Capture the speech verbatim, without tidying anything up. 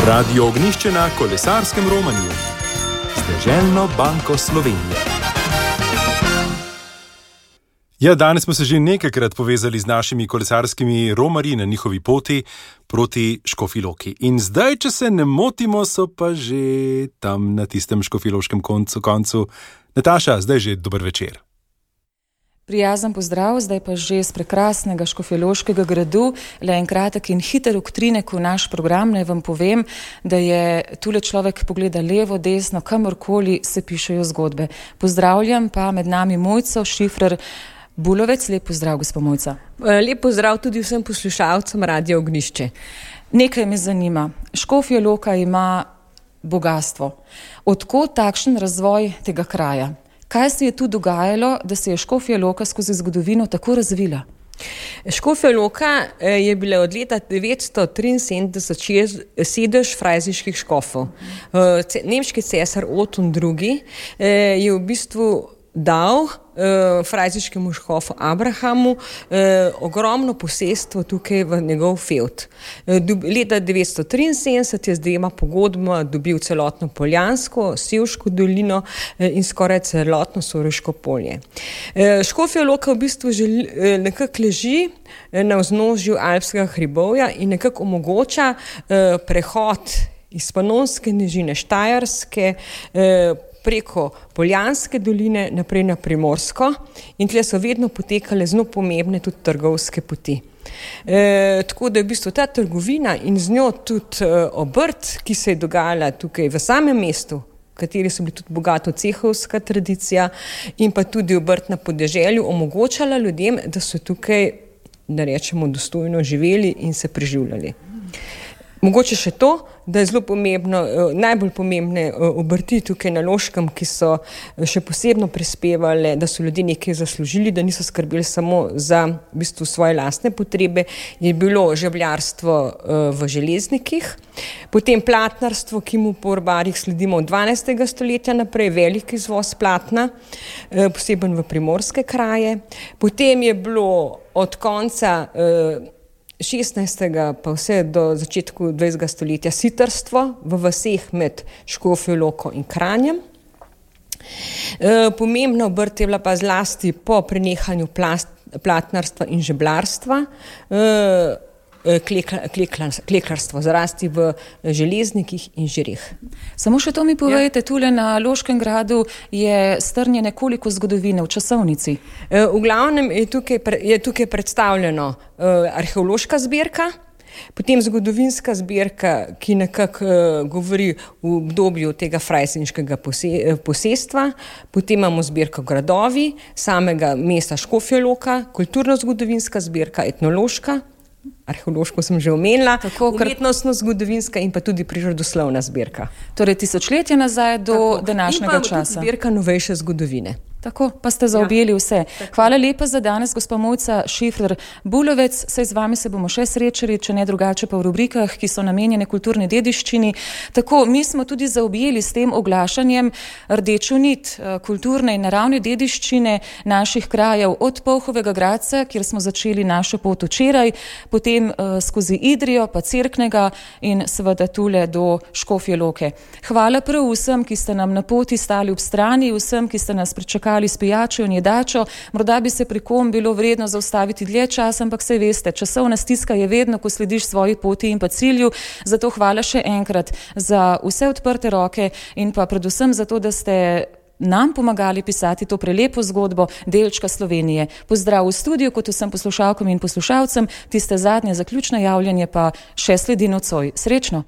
Radio Ognjišče na kolesarskem romanju z Deželno banko Slovenije. Ja, danes smo se že nekajkrat povezali z našimi kolesarskimi romarji na njihovi poti proti Škofji Loki. In zdaj, če se ne motimo, so pa že tam na tistem škofjeloškem koncu, koncu. Nataša, zdaj že dober večer. Prijazen pozdrav, zdaj pa že z prekrasnega Škofjeloškega gradu. Le en kratek in hiter uktrinek v naš program. Naj vam povem, da je tule človek pogleda levo, desno, kamorkoli se pišejo zgodbe. Pozdravljam pa med nami Mojco Šifrer Bulovec. Lep pozdrav, gospa Mojca. Lep pozdrav tudi vsem poslušalcem Radio Ognjišče. Nekaj me zanima. Škofja Loka ima bogastvo. Odkot takšen razvoj tega kraja? Kaj se je tu dogajalo, da se je Škofja Loka skozi zgodovino tako razvila? Škofja Loka je bila od leta devetsto triinsedemdeset sedež frajziških škofov. Nemški cesar Oton drugi je v bistvu dal uh, frajziškemu škofu Abrahamu uh, ogromno posestvo tukaj v njegov fevd. Uh, leta devetsto triinsedemdeset je z dvema pogodbama dobil celotno Poljansko, Sevško dolino uh, in skoraj celotno Soroško polje. Uh, Škofja Loka v bistvu želi, uh, nekako leži uh, na vznožju Alpskega hribovja in nekako omogoča uh, prehod iz Panonske nižine Štajerske uh, preko Poljanske doline naprej na Primorsko in tle so vedno potekale zelo pomembne tudi trgovske poti. E, tako da je v bistvu ta trgovina in z njo tudi e, obrt, ki se je dogajala tukaj v samem mestu, v kateri so bili tudi bogato cehovska tradicija in pa tudi obrt na podeželju, omogočala ljudem, da so tukaj, da rečemo, dostojno živeli in se preživljali. Mogoče še to, da je zelo pomembno, najbolj pomembne obrti tukaj na Loškem, ki so še posebno prispevali, da so ljudje nekaj zaslužili, da niso skrbeli samo za v bistvu svoje lastne potrebe, je bilo žebljarstvo v Železnikih, potem platnarstvo, ki mu po Orbarjih sledimo od dvanajstega stoletja naprej, velik izvoz platna, poseben v primorske kraje, potem je bilo od konca šestnajstega pa vse do začetku dvajsetega stoletja sitarstvo v vaseh med Škofjo Loko in Kranjem. E, pomembna obrt je bila pa zlasti po prenehanju plast, platnarstva in žeblarstva, e, klekla, klekla, kleklarstvo, zrasti v Železnikih in Žireh. Samo še to mi povejte, ja. Tule na Loškem gradu je strnje nekoliko zgodovine v časovnici. E, v glavnem je tukaj, je tukaj predstavljeno e, arheološka zbirka, potem zgodovinska zbirka, ki nekako e, govori v obdobju tega frajzinškega pose, posestva, potem imamo zbirko gradovi, samega mesta Škofja Loka, kulturno-zgodovinska zbirka, etnološka, arheološko sem že omenila, umetnostno-zgodovinska in pa tudi prirodoslovna zbirka. Torej tisočletja nazaj do Tako. današnjega časa. In pa zbirka novejše zgodovine. Tako, pa ste zaobjeli ja. vse. Hvala lepa za danes, gospa Mojca Šifrer Bulovec. Saj z vami se bomo še srečali, če ne drugače pa v rubrikah, ki so namenjene kulturni dediščini. Tako, mi smo tudi zaobjeli s tem oglašanjem rdečo nit kulturne in naravne dediščine naših krajev od Polhovega Gradca, kjer smo začeli našo pot včeraj, potem uh, skozi Idrijo, pa Cerknega in seveda tule do Škofje Loke. Hvala prav vsem, ki ste nam na poti stali ob strani, vsem, ki ste nas pričakali s pijačo in jedačo. Morda bi se pri kom bilo vredno zaustaviti dlje čas, ampak saj veste, časovna stiska je vedno, ko slediš svoji poti in pa cilju. Zato hvala še enkrat za vse odprte roke in pa predvsem za to, da ste nam pomagali pisati to prelepo zgodbo delčka Slovenije. Pozdrav v studiu, kot vsem poslušalkam in poslušalcem, tiste zadnje zaključno javljanje pa še sledi nocoj. Srečno!